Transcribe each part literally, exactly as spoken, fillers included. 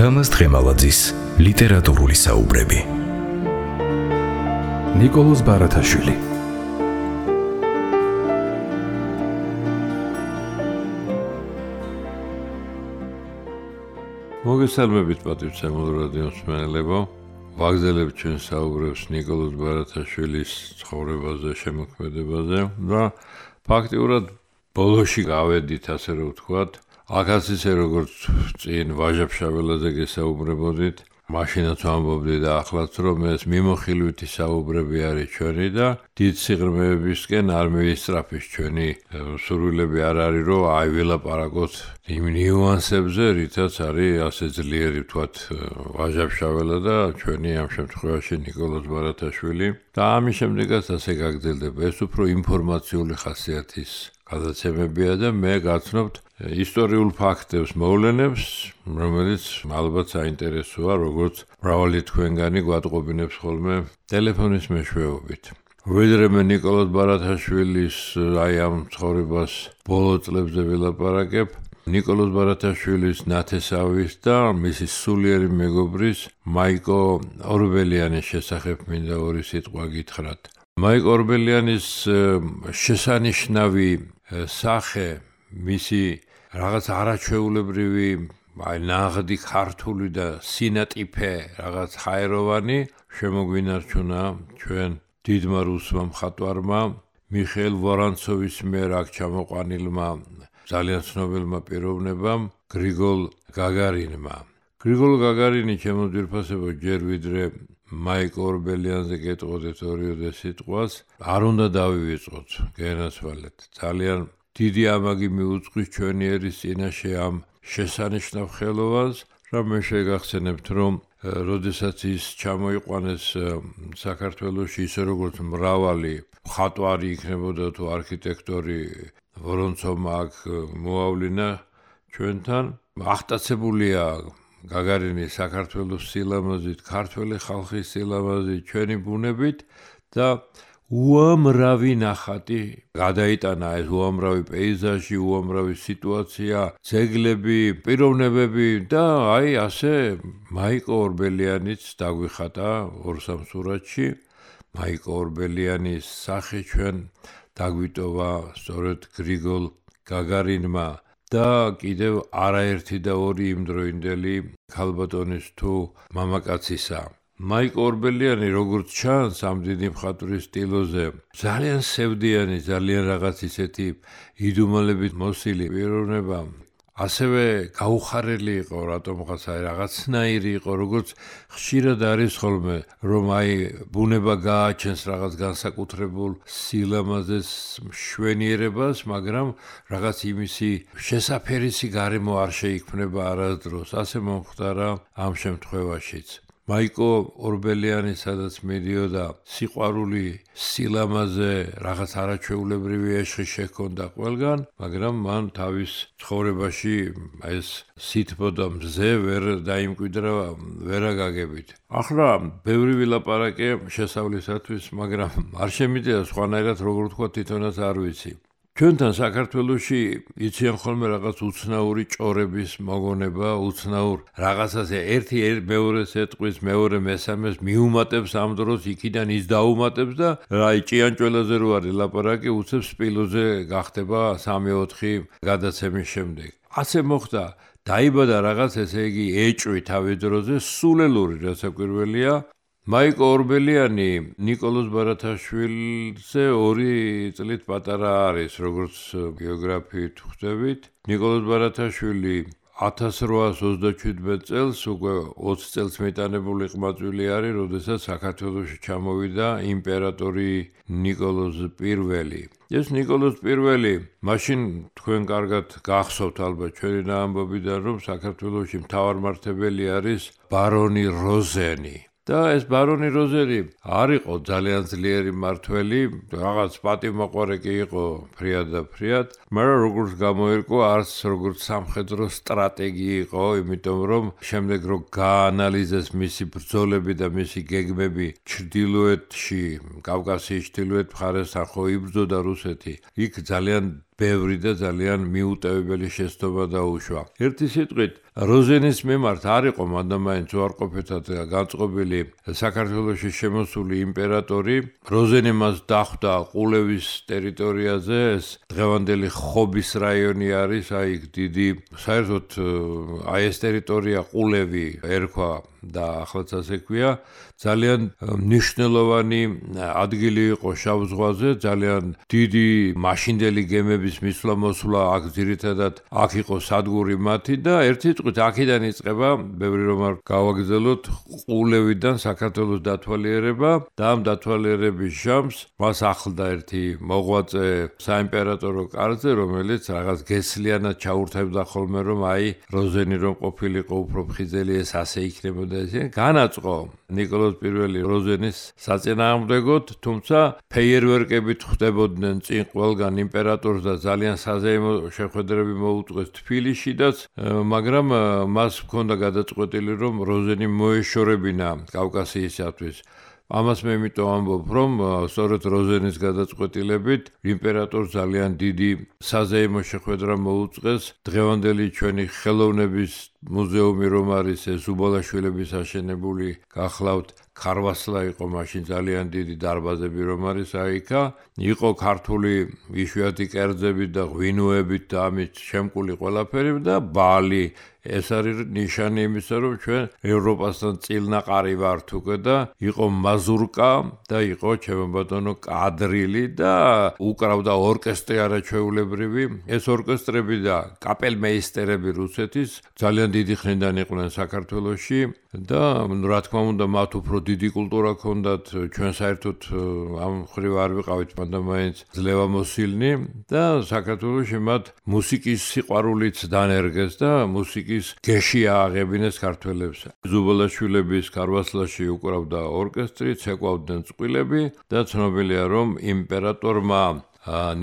თამაზ დღემალაძის ლიტერატურული საუბრები. ნიკოლოზ ბარათაშვილი. მოგესალმებით პატივცემულ რადიო მსმენელებო. ვაგზელებთ ჩვენ საუბრებს ნიკოლოზ ბარათაშვილის ცხოვრებაზე, შემოქმედებაზე და ფაქტიურად ბოლოში გავედით, ასე რომ ვთქვათ, აქაც ისე როგორც წინ ვაჟა-ფშაველაძე გესაუბრებოდით, მაშინაც ვამბობდი და ახლაც რომ ეს მიმოხილვითი საუბრები არის ჩვენი და დიდ სიღრმეებისკენ არ მივისწრაფის ჩვენი სურვილები არ არის რომ აი ვილაპარაკოთ იმ ნიუანსებზე, რითაც არის ასე ძლიერი ვთქვათ ვაჟა-ფშაველა და ჩვენი ამ შემთხვევაში ნიკოლოზ ბარათაშვილი და ამის შემდეგაც ასე გაგრძელდება. ეს უფრო ინფორმაციული ხასიათის გადაცემებია და მე გაცნობთ ისტორიულ ფაქტებს, მოვლენებს, რომელიც ალბათ საინტერესოა, როგორც მრავალი თქვენგანი გვატყობინებს ხოლმე ტელეფონის მეშვეობით. ვიდრე მე ნიკოლოზ ბარათაშვილის აი ამ ცხოვრებას ბოლო წლებზე ვილაპარაკებ, ნიკოლოზ ბარათაშვილის ნათესავის და მისი სულიერი მეგობრის მაიკო ორბელიანის შესახებ მინდა ორი სიტყვა გითხრათ. მაიკო ორბელიანის შესანიშნავი სახე, მისი რაღაც არაჩვეულებრივი, აი ნაღდი ქართული და სინატიფე რაღაც ჰაეროვანი შემოგვინარჩუნა ჩვენ დიდმა რუსმა მხატვარმა მიხეილ ვორონცოვის მიერ აქ ჩამოყვანილმა ძალიან ცნობილმა პიროვნებამ გრიგოლ გაგარინმა. გრიგოლ გაგარინი ჩემო ძვირფასებო ჯერ ვიდრე მაიკო ორბელიანზე გეტყოდეთ ორიოდე სიტყვას, არ უნდა დავივიწყოთ, გენაცვალეთ. ძალიან დიდი ამაგი მიუძღვის ჩვენი ერის წინაშე ამ შესანიშნავ ხელოვანს, რა მე შეგახსენებთ, რომ როდესაც ის ჩამოიყვანეს საქართველოში, ისე როგორც მრავალი მხატვარი იქნებოდა თუ არქიტექტორი, ვორონცოვმა აქ მოავლინა ჩვენთან, აღტაცებულია გაგარინი საქართველოს სილამაზით, ქართველი ხალხის სილამაზით, ჩვენი ბუნებით და უამრავი ნახატი გადაიტანა, ეს უამრავი პეიზაჟი, უამრავი სიტუაცია, ძეგლები, პიროვნებები და აი ასე მაიკო ორბელიანიც დაგვიხატა ორ-სამ სურათში. მაიკო ორბელიანის სახე ჩვენ დაგვიტოვა სწორედ გრიგოლ გაგარინმა და კიდევ არაერთი და ორი იმდროინდელი ქალბატონის თუ მამაკაცისა. მაიკო ორბელიანი, როგორც ჩანს ამ დიდი მხატვრის სტილოზე, ძალიან სევდიანი, ძალიან რაღაც ისეთი იდუმალებით მოსილი პიროვნება, ასევე გაუხარელი იყო, რატომღაც აი რაღაცნაირი იყო, როგორც ხშირად არის ხოლმე, რომ აი ბუნება გააჩენს რაღაც განსაკუთრებულ სილამაზეს, მშვენიერებას, მაგრამ რაღაც იმისი შესაფერისი გარემო არ შეიქმნება არასდროს. ასე მომხდარა ამ შემთხვევაშიც. მაიკო ორბელიანი სადაც მიდიოდა, სიყვარული, სილამაზე, რაღაც არაჩვეულებრივი ეშხი შექონდა ყველგან, მაგრამ მან თავის ცხოვრებაში ეს სითბო და მზე ვერ დაიმკვიდრა ვერაგაგებით. ახლა ბევრი ვილაპარაკე შესავლისათვის, მაგრამ არ შემიძლია სხვანაირად როგორ ვთქვა, თვითონაც არ ვიცი. ჩვენთან საქართველოში იციან ხოლმე რაღაც უცნაური ჭორების მოგონება, უცნაურ რაღაცაზე ერთი მეორეს ეტყვის, მეორე მესამეს მიუმატებს ამ დროს, იქიდან ის დაუმატებს და აი ჭიანჭველაზე რო არის ლაპარაკი, უცებ სპილოზე გახდება სამი-ოთხი გადაცემის შემდეგ. ასე მოხდა, დაიბადა რაღაც, ესე იგი, ეჭვი თავის დროზე, სულელური რასაკვირველია. მაიკო ორბელიანი ნიკოლოზ ბარათაშვილზე ორი წლით პატარა არის, როგორც ბიოგრაფიით ხვდებით. ნიკოლოზ ბარათაშვილი ათას რვაას ოცდაჩვიდმეტ წელს უკვე ოცი წელს მეტანებული ყმაწვილი არის, როდესაც საქართველოში ჩამოვიდა იმპერატორი ნიკოლოზ პირველი. ეს ნიკოლოზ პირველი, მაშინ თქვენ კარგად გახსოვთ ალბათ ჩვენი ამბობიდან, რომ საქართველოში მთავარმართებელი არის ბარონი როზენი. და ეს ბარონი როზენი არ იყო ძალიან ძლიერი მმართველი, რაღაც პატივმოყვარე კი იყო ფრიად და ფრიად, მაგრამ როგორც გამოირკვა, არც როგორც სამხედრო სტრატეგი იყო, იმიტომ რომ შემდეგ რო გაანალიზეს მისი ბრძოლები და მისი გეგმები ჩრდილოეთში, კავკასიის ჩრდილოეთ მხარესთან ხო იბრძოდა რუსეთი, იქ ძალიან ბევრი და ძალიან მიუტევებელი შეცდომა დაუშვა. ერთი სიტყვით, როზენის მიმართ არ იყო მანდამაინც უარყოფითად განწყობილი საქართველოში შემოსული იმპერატორი. როზენი მას დახვდა ყულევის ტერიტორიაზე, ეს დღევანდელი ხობის რაიონი არის, აი დიდი საერთოდ აი ეს ტერიტორია ყულევი ერქვა და ახლაც ასე ქვია, ძალიან მნიშვნელოვანი ადგილი იყო შავ ზღვაზე, ძალიან დიდი მაშინდელი გემების მისვლა-მოსვლა აქ ძირითადად აქ იყო სადგური მათი და ერთი სიტყვით აქედან იწყება, ბევრი რომ არ გავაგრძელოთ, ყულევიდან საქართველოს დათვალიერება და ამ დათვალიერების ჟამს მას ახლდა ერთი მოღვაწე საიმპერატორო კარზე, რომელიც რაღაც გესლიანად ჩაურთებდა ხოლმე რომ აი როზენი რომ ყოფილიყო უფრო ფხიზელი ეს ასე იქნებოდა. განაწყო ნიკოლოზ პირველი როზენის საწინააღმდეგოდ, თუმცა ფეიერვერკებით ხვდებოდნენ წინ ყველგან იმპერატორს და ძალიან საზეიმო შეხვედრები მოუწყვეს თბილისშიდაც, მაგრამ მას ჰქონდა გადაწყვეტილი რომ როზენი მოეშორებინა კავკასიისათვის. ამას მე იმიტომ ამბობ, რომ სწორედ როზენის გადაწყვეტილებით იმპერატორს ძალიან დიდი საზეიმო შეხვედრა მოუწყვეს დღევანდელი ჩვენი ხელოვნების მუზეუმი რომ არის ეს უბალაშვილების აშენებული გახლავთ ქარვასლა იყო მაშინ ძალიან დიდი დარბაზები რომ არის აიქა იყო ქართული იშვიათი კერძები და ღვინოებით და ამით შემკული ყველაფერი და ბალი ეს არის ნიშანი იმისა რომ ჩვენ ევროპასთან წილნაყარი ვართ უკვე და იყო მაზურკა და იყო ჩემო ბატონო კადრილი და უკრავდა ორკესტრი არაჩვეულებრივი ეს ორკესტრები და კაპელმეისტერები რუსეთის ძალიან დიდი ხნიდან იყვნენ საქართველოში და რა თქმა უნდა მათ უფრო დიდი კულტურა ჰქონდათ ჩვენ საერთოდ ამ ხრივ არ ვიყავით მანდამაინც ძლევამოსილნი და საქართველოში მათ მუსიკის სიყვარულიც დანერგეს და მუსიკის გეში ააღებინეს ქართველებს ზუბალაშვილების ქარვასლაში უკრავდა ორკესტრი ცეკვავდნენ წყვილები და ცნობილია რომ იმპერატორმა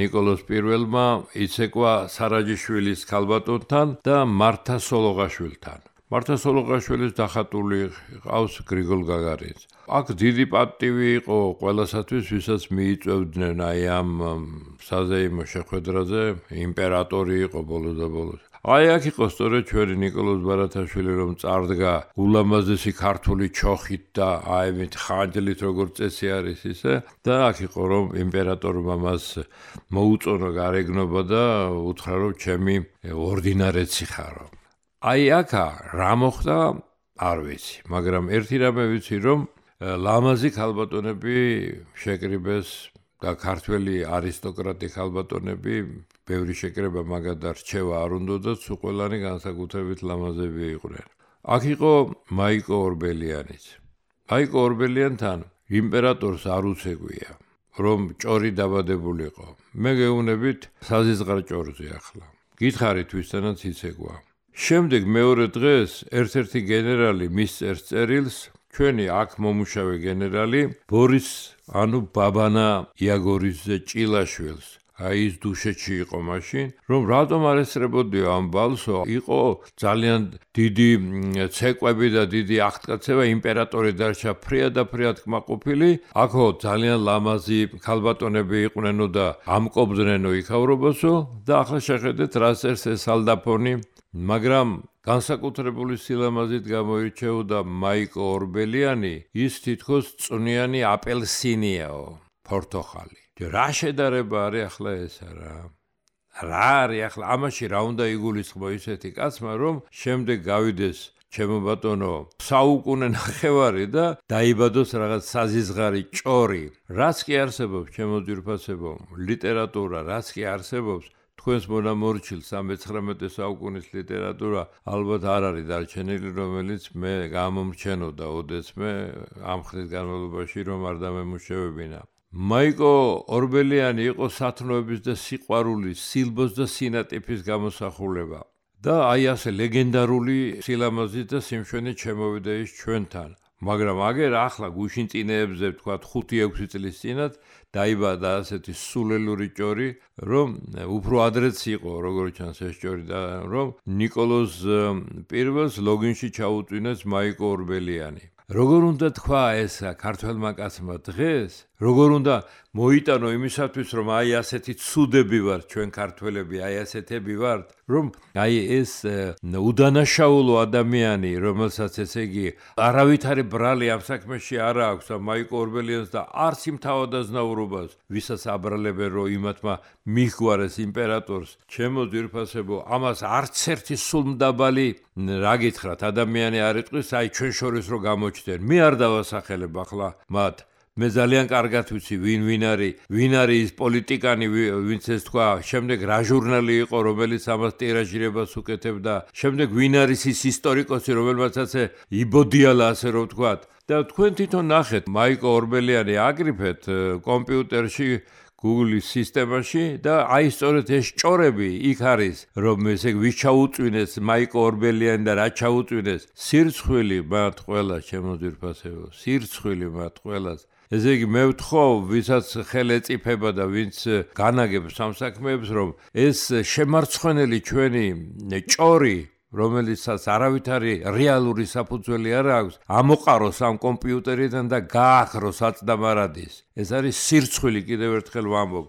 ნიკოლოზ პირველმა იცეკვა სარაჯიშვილის ქალბატონთან და მართა სოლოღაშვილთან მართა სოლოღაშვილის დახატული ყავს გრიგოლ გაგარინს. აქ დიდი პატივი იყო ყველასათვის, ვისაც მიიწევდნენ აი ამ საზეიმო შეხვედრაზე, იმპერატორი იყო ბოლოს და ბოლოს. აი აქ იყო სწორედ ჩვენი ნიკოლოზ ბარათაშვილი რომ წარდგა ულამაზესი ქართული ჩოხით და აიმით ხანჯლით როგორც წესი არის ისე და აქ იყო რომ იმპერატორმა მას მოუწონა გარეგნობა და უთხრა რომ ჩემი ორდინარეცი ხარო. აი აქა რა მოხდა არ ვიცი, მაგრამ ერთი რამე ვიცი რომ ლამაზი ქალბატონები შეკრიბეს და ქართველი არისტოკრატი ქალბატონები ბევრი შეკრება მაგად და რჩევა არ უნდოდა, თუ ყველანი განსაკუთრებით ლამაზები იყვნენ. აქ იყო მაიკო ორბელიანიც. მაიკო ორბელიანთან იმპერატორს არ უცეკვია, რომ ჭორი დაბადებულიყო. მე გეუბნებით საზიზღარ ჭორზე ახლა. გითხარით ვისთანაც იცეკვა. შემდეგ მეორე დღეს ერთ-ერთი გენერალი მისწერს წერილს, ჩვენი აქ მომუშავე გენერალი ბორის ანუ ბაბანა იაგორიძე ჭილაშვილს. აი ის დუშეთში იყო მაშინ, რომ რატომ არ ესწრებოდიო ამ ბალსო, იყო ძალიან დიდი ცეკვები და დიდი აღტკაცება, იმპერატორი დარჩა ფრიად და ფრიად კმაყოფილი, აქო ძალიან ლამაზი ქალბატონები იყვნენო და ამკობდნენო იქავრობასო და ახლა შეხედეთ რა წერს ეს ალდაფონი, მაგრამ განსაკუთრებული სილამაზით გამოირჩეოდა მაიკო ორბელიანი, ის თითქოს წვნიანი აპელსინიაო, პორტოხალი. რა შედარება არის ახლა ეს რა? რა არის ახლა ამაში რა უნდა იგულისხმო ისეთი კაცმა, რომ შემდეგ გავიდეს ჩემო ბატონო საუკუნე ნახევარი და დაიბადოს რაღაც საზიზღარი ჭორი. რაც კი არსებობს ჩემო ძვირფასებო, ლიტერატურა რაც კი არსებობს თქვენს მონამორჩილ სამეცხრამეტე საუკუნის ლიტერატურა ალბათ არ არის დარჩენილი, რომელიც მე გამომრჩენოდა ოდესმე ამ ხნის განმავლობაში რომ არ დამემუშავებინა. მაიკო ორბელიანი იყო სათნოების და სიყვარულის, სილბოს და სინატიფის გამოსახულება და აი ასე ლეგენდარული სილამაზით და სიმშვენით შემოვიდა ის ჩვენთან. მაგრამ აგერ ახლა გუშინწინეებზე ვთქვათ ხუთი ექვსი წლის წინათ დაიბადა ასეთი სულელური ჭორი, რომ უფრო ადრეც იყო, როგორც ჩანს ეს ჭორი და რომ ნიკოლოზ პირველს ლოგინში ჩაუწვინეს მაიკო ორბელიანი. როგორ უნდა თქვა ეს ქართველმა კაცმა დღეს, როგორ უნდა მოიტანო იმისათვის, რომ აი ასეთი ცუდები ვართ ჩვენ ქართველები, აი ასეთები ვართ, რომ აი ეს უდანაშაულო ადამიანი, რომელსაც ესე იგი არავითარი ბრალი ამ საქმეში არ აქვს და მაიკ ორბელიანს და არც იმ თავადაზნაურობას, ვისაც აბრალებენ, რომ იმათმა მიჰგვარეს იმპერატორს, ჩემო ძვირფასებო, ამას არც ერთი სულმდაბალი რა გითხრათ, ადამიანი არ იტყვის, აი ჩვენ შორის რო გამოჩნდნენ. მე არ დავასახელებ ახლა მათ. მე ძალიან კარგად ვიცი ვინ ვინ არის, ვინ არის ის პოლიტიკანი, ვინც ეს თქვა, შემდეგ რა ჟურნალი იყო, რომელიც ამას ტირაჟირებას უკეთებდა, შემდეგ ვინ არის ის ისტორიკოსი, რომელმაცაც იბოდიალა, ასე რომ ვთქვათ. და თქვენ თვითონ ნახეთ, მაიკ ორბელიანი აგრიფეთ კომპიუტერში Google-ის სისტემაში და აი სწორედ ეს ჭორები იქ არის, რომ ესე ვის ჩაუწვინეს მაიკ ორბელიანი და რა ჩაუწვინეს, სირცხვილი მათ ყველას, ჩემო ძვირფასებო, სირცხვილი მათ ყველას. ესე იგი მე ვთხოვ, ვისაც ხელი ეწიფება და ვინც განაგებს ამ საქმეებს, რომ ეს შემარცხვენელი ჩვენი ჭორი, რომელიცაც არავითარი რეალური საფუძველი არ აქვს, ამოყაროს ამ კომპიუტერიდან და გაახროს აწდამარადის. ეს არის სირცხვილი, კიდევ ერთხელ ვამბობ.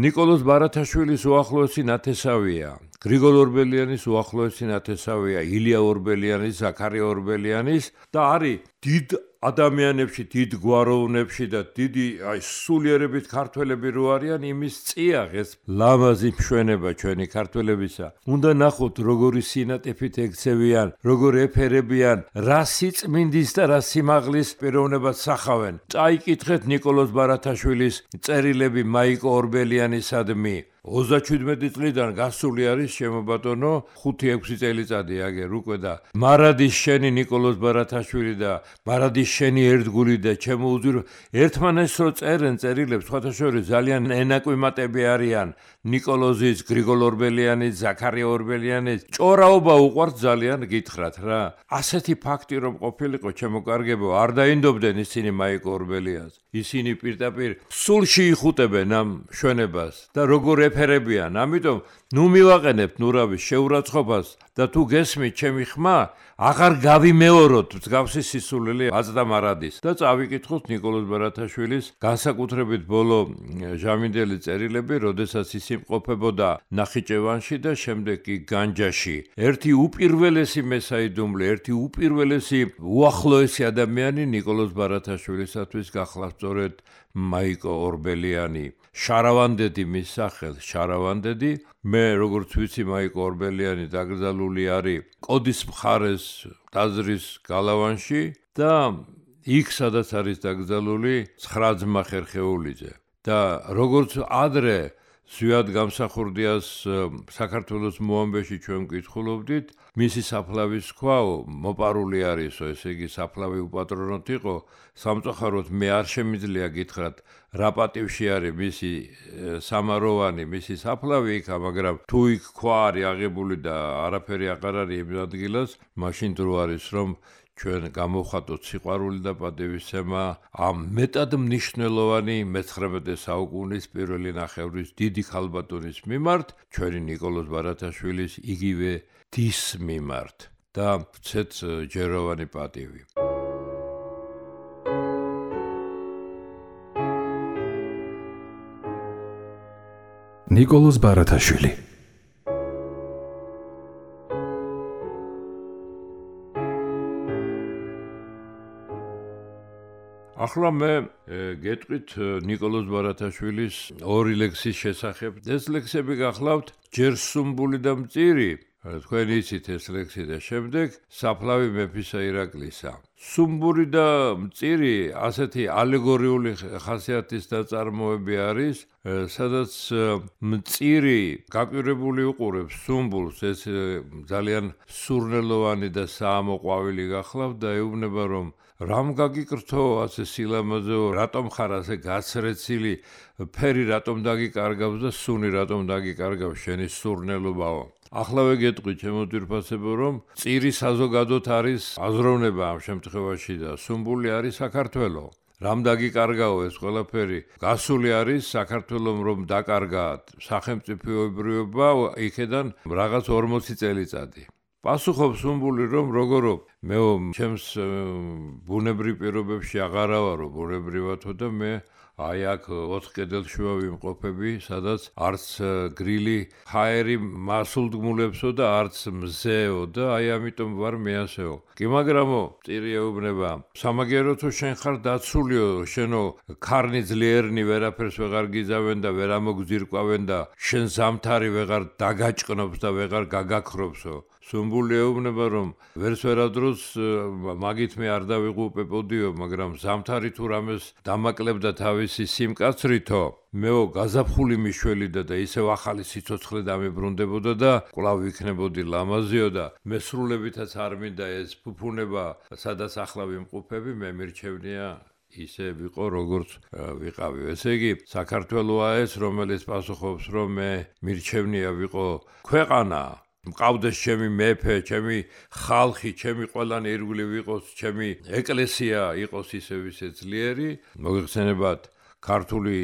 ნიკოლოზ ბარათაშვილის უახლოესი ნათესავია, გრიგოლ ორბელიანის უახლოესი ნათესავია, ილია ორბელიანის, ზაქარია ორბელიანის და არის დიდ ადამიანებში, დიდ გვაროვნებში და დიდი აი სულიერებით ქართველები რო არიან, იმის წიაღ ეს ლამაზი მშვენება ჩვენი ქართველებისა. უნდა ნახოთ როგორი სინატიფით ექცევიან, როგორ ეფერებიან, რა სიწმინდის და რა სიმაღლის პიროვნებას სახავენ. წაიკითხეთ ნიკოლოზ ბარათაშვილის წერილები მაიკ ორბელიანისადმი. ოცდაჩვიდმეტი წლიდან გასული არის შემობატონო ხუთი ექვსი წელიწადი აგერ უკვე და მარადის შენი ნიკოლოზ ბარათაშვილი და მარადის შენი ერთგული და ჩემო უძვირ ერთმანეთს რო წერენ წერილებს სხვათა შორის ძალიან ენაკვიმატები არიან ნიკოლოზის, გრიგოლ ორბელიანის, ზაქარია ორბელიანის ჭორაობა უყვართ ძალიან გითხრათ რა ასეთი ფაქტი რომ ყოფილიყო ჩემო კარგებო არ დაინდობდნენ ისინი მაიკ ორბელიანს ისინი პირდაპირ სულში იხუტებენ ამ მშვენებას და როგორ ეფერებიან ამიტომ ნუ მივაყენებთ ნურავის შეურაცხყოფას და თუ გესმით ჩემი ხმა აღარ გავიმეოროთ მსგავსი სისულელი აწდამარადის და წავიკითხოთ ნიკოლოზ ბარათაშვილის განსაკუთრებით ბოლო ჟამინდელი წერილები როდესაც ის იმყოფებოდა ნახიჩევანში და შემდეგ კი განჯაში ერთი უპირველესი მესაიდუმლე ერთი უპირველესი უახლოესი ადამიანი ნიკოლოზ ბარათაშვილისათვის გახლავთ სწორედ მაიკო ორბელიანი შარავანდედი მის სახელს შარავანდედი მე როგორც ვიცი მაიკო ორბელიანი დაკრძალული არის კოდის მხარეს ტაძრის გალავანში და იქ სადაც არის დაკრძალული ცხრა ძმა ხერხეულიძე და როგორც ადრე ზვიად გამსახურდიას საქართველოს მოამბეში ჩვენ ვკითხულობდით მისი საფლავის ქვაო მოპარული არისო ესე იგი საფლავი უპატრონოთ იყო სამწუხაროდ მე არ შემიძლია გითხრათ რა პატივში არის მისი სამაროვანი მისი საფლავი იქა მაგრამ თუ იქ ქვა არის აღებული და არაფერი აღარ არის იმ ადგილას მაშინ დრო არის რომ ჩვენ გამოვხატოთ სიყვარული და პატივისცემა ამ მეტად მნიშვნელოვანი მეცხრამეტე საუკუნის პირველი ნახევრის დიდი ქალბატონის მიმართ ჩვენი ნიკოლოზ ბარათაშვილის იგივე დის მიმართ და ვცეთ ჯეროვანი პატივი ნიკოლოზ ბარათაშვილი ახლა მე გეტყვით ნიკოლოზ ბარათაშვილის ორი ლექსის შესახებ. ეს ლექსები გახლავთ ჯერ სუმბული და მწირი, თქვენ იცით ეს ლექსი და შემდეგ საფლავი მეფისა ირაკლისა. სუმბური და მწირი ასეთი ალეგორიული ხასიათის ნაწარმოები არის, სადაც მწირი გაკვირვებული უყურებს სუმბულს, ეს ძალიან სურნელოვანი და საამოყვავილი გახლავთ და ეუბნება რომ რამ გაგიკრთო ასე სილამაზეო, რატომ ხარ ასე გაცრეცილი, ფერი რატომ დაგიკარგავს და სუნი რატომ დაგიკარგავს შენი სურნელობაო. ახლა ვეგეტყვი ჩემო ძვირფასებო რომ მწირი საზოგადოდ არის აზროვნება ამ შემთხვევაში და სუმბული არის საქართველო. რამ დაგიკარგაო ეს ყველაფერი? გასული არის საქართველომ რომ დაკარგა სახელმწიფოებრიობა იქედან რაღაც ორმოცი წელიწადი. პასუხობს სუმბული, რომ როგორო მეო ჩემს ბუნებრივ პირობებში აღარა ვარო, ბუნებრივათო და მე აი აქ ოთხ კედელშუა ვიმყოფები, სადაც არც გრილი ჰაერი მასულდგმულებსო და არც მზეო და აი ამიტომ ვარ მე ასეო. კი მაგრამო წირი ეუბნება, სამაგერო თუ შენ ხარ დაცულიო, შენო ქარნი ძლიერნი ვერაფერს ვეღარ გიძავენ და ვერ ამოგზირკვავენ და შენ ზამთარი ვეღარ დაგაჭყნობს და ვეღარ გაგაქრობსო. სუმბული ეუბნება, რომ ვერც ვერადროს მაგით მე არ დავიღუპებოდიო, მაგრამ ზამთარი თუ რამეს დამაკლებდა თავისი სიმკაცრითო, მეო გაზაფხული მიშველიდა და ისევ ახალი სიცოცხლე დამებრუნდებოდა და კვლავ ვიქნებოდი ლამაზიო და მესრულებითაც არ მინდა ეს ფუფუნება, სადაც ახლა ვიმყოფები, მე მირჩევნია ისე ვიყო, როგორც ვიყავი. ესე იგი, საქართველოა ეს, რომელიც პასუხობს, რომ მე მირჩევნია ვიყო ქვეყანა, მყავდეს ჩემი მეფე, ჩემი ხალხი, ჩემი ყველანი ირგვლივ იყოს, ჩემი ეკლესია იყოს ისევ ისე ძლიერი. მოგეხსენებათ, ქართული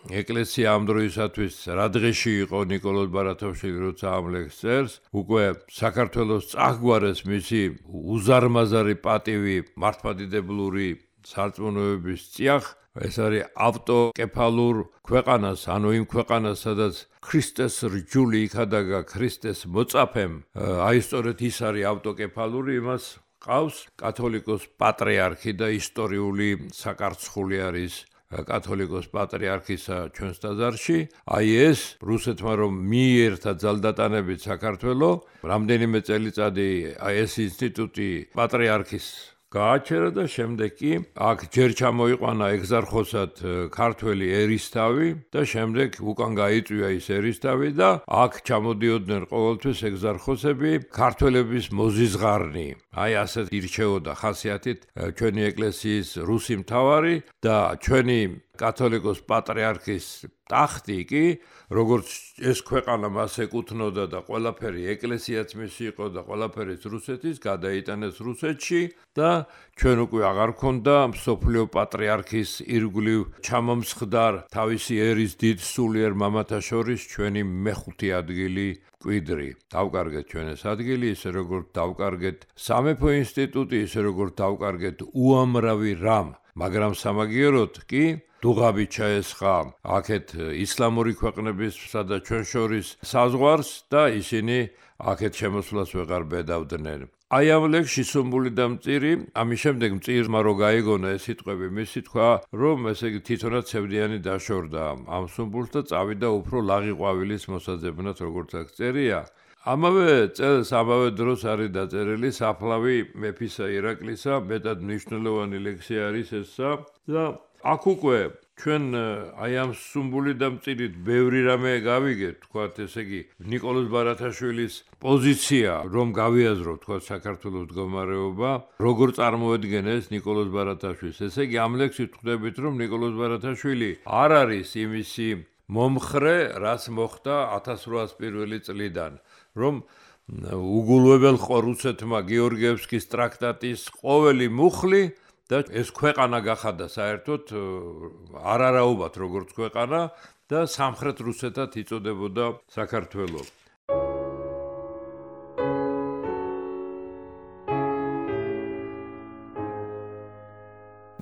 ეკლესია ამ დროისათვის რა დღეში იყო ნიკოლოზ ბარათაშვილი, როცა ამ ლექსს წერს, უკვე საქართველოს წაგვარეს მისი უზარმაზარი პატივი მართლმადიდებლური სარწმუნოების წიაღ. ეს არის ავტოკეფალურ ქვეყანას, ანუ იმ ქვეყანას, სადაც ქრისტეს რჯული იქადაგა ქრისტეს მოწაფემ, აი სწორედ ის არის ავტოკეფალური, იმას ყავს კათოლიკოს პატრიარქი და ისტორიული საკარცხული არის კათოლიკოს პატრიარქისა ჩვენს ტაძარში. აი ეს რუსეთმა რომ მიიერთა ძალდატანებით საქართველო, რამდენიმე წელიწადი აი ეს ინსტიტუტი პატრიარქის გააჩერა და შემდეგ კი აქ ჯერ ჩამოიყვანა ეგზარხოსად ქართველი ერისთავი და შემდეგ უკან გაიწვია ის ერისთავი და აქ ჩამოდიოდნენ ყოველთვის ეგზარხოსები ქართველების მოზიზღარნი. აი ასეთ ირჩეოდა ხასიათით ჩვენი ეკლესიის რუსი მთავარი და ჩვენი კათოლიკოს პატრიარქის ტახტი კი, როგორც ეს ქვეყანა მას ეკუთვნოდა და ყველაფერი ეკლესიაც მისი იყო და ყველაფერიც რუსეთის, გადაიტანეს რუსეთში და ჩვენ უკვე აღარ ქონდა მსოფლიო პატრიარქის ირგვლივ ჩამომსხდარ თავისი ერის დიდ სულიერ მამათა შორის ჩვენი მეხუთი ადგილი კვიდრი. დავკარგეთ ჩვენ ეს ადგილი, ისე როგორც დავკარგეთ სამეფო ინსტიტუტი, ისე როგორც დავკარგეთ უამრავი რამ, მაგრამ სამაგიეროდ კი დუღაბი ჩაესხა აქეთ ისლამური ქვეყნებისა და ჩვენ შორის საზღვარს და ისინი აქეთ შემოსვლას ვეღარ ბედავდნენ. აი ამ ლექსში სუმბული და მწირი, ამის შემდეგ მწირმა რო გაიგონა ეს სიტყვები, მისი თქვა, რომ ესე იგი თვითონაც ცევდიანი დაშორდა ამ სუმბულს და წავიდა უფრო ლაღი ყვავილის მოსაძებნად, როგორც აქ წერია. ამავე წელს, ამავე დროს არის დაწერილი საფლავი მეფისა ირაკლისა, მეტად მნიშვნელოვანი ლექსი არის ესა და აქ უკვე ჩვენ აი ამ სუმბული და მწირით ბევრი რამე გავიგეთ, თქვათ, ესე იგი ნიკოლოზ ბარათაშვილის პოზიცია, რომ გავიაზროთ, თქვათ, საქართველოს მდგომარეობა, როგორ წარმოედგენეს ნიკოლოზ ბარათაშვილს. ესე იგი ამ ლექსით ხვდებით, რომ ნიკოლოზ ბარათაშვილი არ არის იმისი მომხრე, რაც მოხდა ათას რვაას პირველი წლიდან, რომ უგულვებელ ხო რუსეთმა გეორგიევსკის ტრაქტატის ყოველი მუხლი და ეს ქვეყანა გახადა საერთოდ არარაობად როგორც ქვეყანა და სამხრეთ რუსეთად იწოდებოდა საქართველო.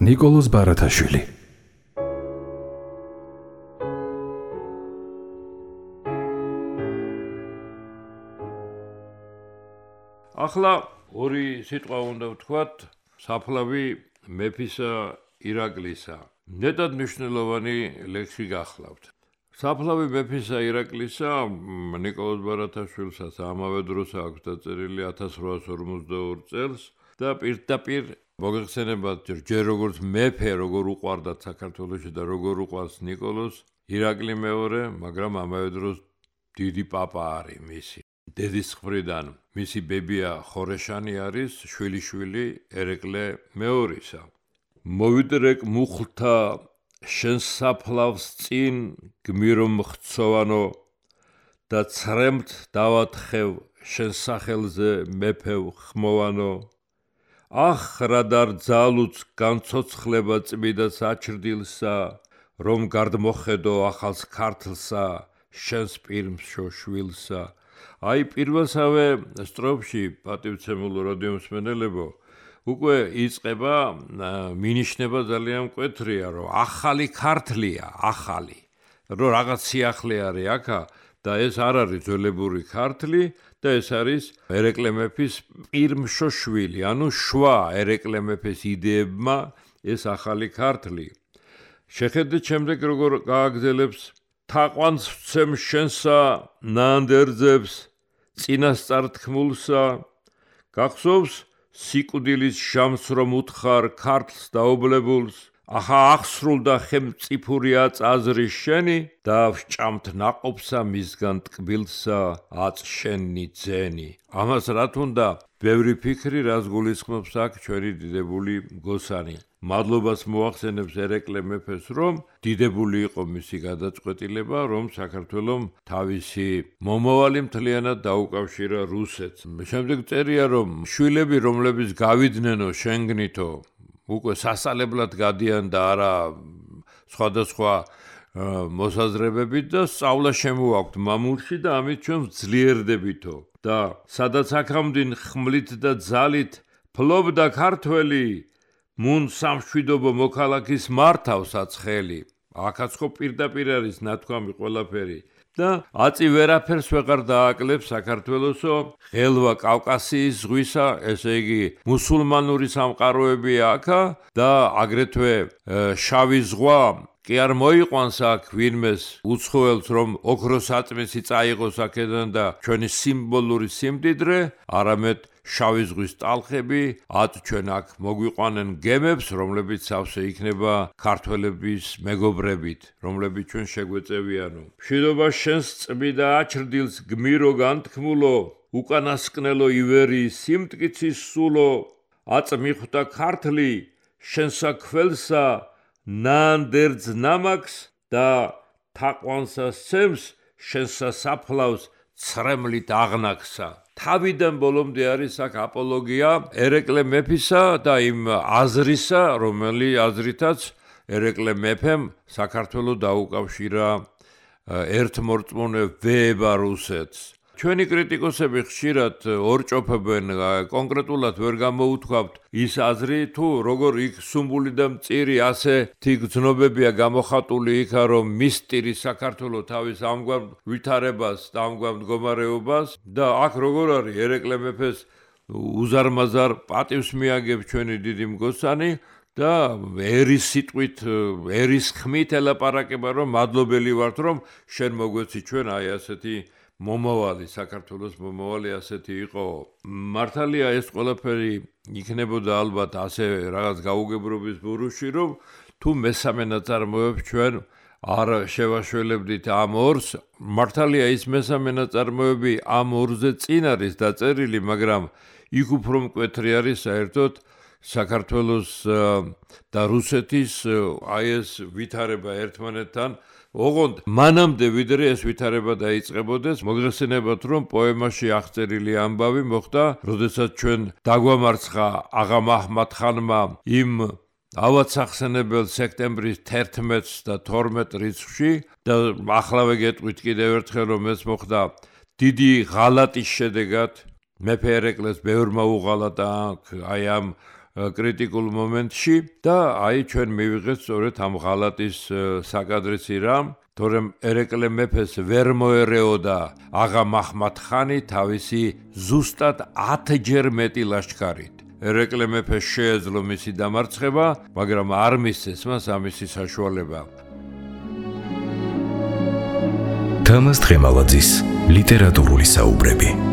ნიკოლოზ ბარათაშვილი. ახლა ორი სიტყვა უნდა ვთქვათ საფლავი მეფისა ირაკლისა. ნეტად მნიშვნელოვანი ლექსი გახლავთ. საფლავი მეფისა ირაკლისა ნიკოლოზ ბარათაშვილსაც ამავე დროს აქვს დაწერილი ათას რვაას ორმოცდაორ წელს და პირდაპირ მოგეხსენებათ ჯერ როგორც მეფე როგორ უყვარდათ საქართველოში და როგორ უყვარს ნიკოლოზ ირაკლი მეორე, მაგრამ ამავე დროს დიდი პაპა არის მისი. დედის მხრიდან მისი ბებია ხორეშანი არის შვილიშვილი ერეკლე მეორისა. მოვიდრეკ მუხლთა შენ საფლავს წინ გმირო მხცოვანო და ცრემთ დავათხევ შენ სახელზე მეფევ ხმოვანო. ახ რა დարձალუც განცოცხლება წმიდა საჩრდილსა, რომ გარდმოხედო ახალს ქართლსა შენს პირმშო შვილსა. აი პირველსავე სტროფში პატივცემულო რადიომსმენელებო უკვე იწყება მინიშნება ძალიან მკვეთრია რომ ახალი ქართლია ახალი რომ რაღაც სიახლე არის აქა და ეს არ არის ძველებური ქართლი და ეს არის ერეკლე მეფის პირმშო შვილი ანუ შვა ერეკლე მეფის იდეებმა ეს ახალი ქართლი შეხედეთ შემდეგ როგორ გააგზელებს თაყვანს ვცემ შენსა ნანდერძებს წინასწარ თქმულსა გახსოვს სიკვდილის ჟამს რომ უთხარ ქართლს დაობლებულს ახა ახსრულდა ხელმწიფურია წაზრის შენი და ვჭამთ ნაყოფსა მისგან ტკბილსა აწშენი ძენი ამას რა თუნდა ბევრი ფიქრი რას გულისხმობს აქ ჩვენი დიდებული მგოსანი მადლობას მოახსენებს ერეკლე მეფეს რომ დიდებული იყო მისი გადაწყვეტილება რომ საქართველოს თავისი მომავალი მთლიანად დაუკავშირა რუსეთს შემდეგ წერია რომ შვილები რომლებიც გავიდნენ შენგნითო უკვე სასწავლებლად გადიან და არა სხვადასხვა მოსაზრებებით და სწავლა შემოაქვთ მამულში და ამით ჩვენ ძლიერდებითო და სადაც აქამდინ ხმლით და ძალით ფლობდა ქართველი მუნ სამშვიდობო მოქალაქის მართავს აცხელი აქაც ხო პირდაპირ არის ნათქვამი ყველაფერი და აწი ვერაფერს ვეღარ დააკლებს საქართველოსო ღელვა კავკასიის ზღვისა ესე იგი მუსულმანური სამყაროებია აქა და აგრეთვე შავი ზღვა კი არ მოიყვანს აქ ვინმეს უცხოელს რომ ოქროს აწმისი წაიღოს აქედან და ჩვენი სიმბოლური სიმდიდრე არამედ შავი ზღვის ტალხები ათ ჩვენ აქ მოგვიყვანენ გემებს რომლებიც სავსე იქნება ქართველების მეგობრებით რომლებიც ჩვენ შეგვეწევიანო მშვიდობა შენს წმიდა აჩრდილს გმირო განთქმულო უკანასკნელო ივერიის სიმტკიცის სულო აწ მიხვდა ქართლი შენსა ქველსა ნანდერძ ნამაკს და თაყვანსა სცემს შენსა საფლავს ცრემლით აღნაგსა თავიდან ბოლომდე არის აქ აპოლოგია ერეკლე მეფისა და იმ აზრისა რომელი აზრითაც ერეკლე მეფემ საქართველოს დაუკავშირა ერთმორწმუნე ვეება რუსეთს ჩვენი კრიტიკოსები ხშირად ორჭოფებენ კონკრეტულად ვერ გამოუთქვამთ ის აზრი თუ როგორ იქ სუმბული და მწირი ასე თი გზნობებია გამოხატული იქა რომ მისტირი საქართველოს თავის ამგვარ ვითარებას და ამგვარ მდგომარეობას და აქ როგორ არის ერეკლე მეფეს უზარმაზარ პატივს მიაგებს ჩვენი დიდი მგოსანი და ერის სიტყვით ერის ხმით ელაპარაკება რომ მადლობელი ვართ რომ შენ მოგვეცი ჩვენ აი ასეთი მომავალი საქართველოს მომავალი ასეთი იყო მართალია ეს ყველაფერი იქნებოდა ალბათ ასე რაღაც გაუგებრობის ბურუში რომ თუ მესამე ნაწარმოებს ჩვენ არ შევაშველებდით ამ ორს მართალია ის მესამე ნაწარმოები ამ ორზე წინ არის დაწერილი მაგრამ იქ უფრო მკვეთრი არის საერთოდ საქართველოს და რუსეთის აი ეს ვითარება ერთმანეთთან ოღონდ მანამდე ვიდრე ეს ვითარება დაიწყებოდეს მოგეხსენებათ რომ პოემაში აღწერილი ამბავი მოხდა როდესაც ჩვენ დაგვამარცხა აღა მაჰმად-ხანმა იმ ავადსახსენებელ სექტემბრის თერთმეტს და თორმეტ რიცხვში და ახლავე გეტყვით კიდევ ერთხელ რომ ეს მოხდა დიდი ღალატის შედეგად მეფე ერეკლეს ბევრმა უღალატა აი ამ კრიტიკულ მომენტში და აი ჩვენ მივიღეთ სწორედ ამ ღალატის საკადრისი რამ თორემ ერეკლე მეფეს ვერ მოერეოდა აღა მაჰმად-ხანი თავისი ზუსტად ათჯერ მეტი ლაშქარით ერეკლე მეფეს შეეძლო მისი დამარცხება მაგრამ არ მისცეს მას ამისი საშუალება თამაზ თხემალაძის ლიტერატურული საუბრები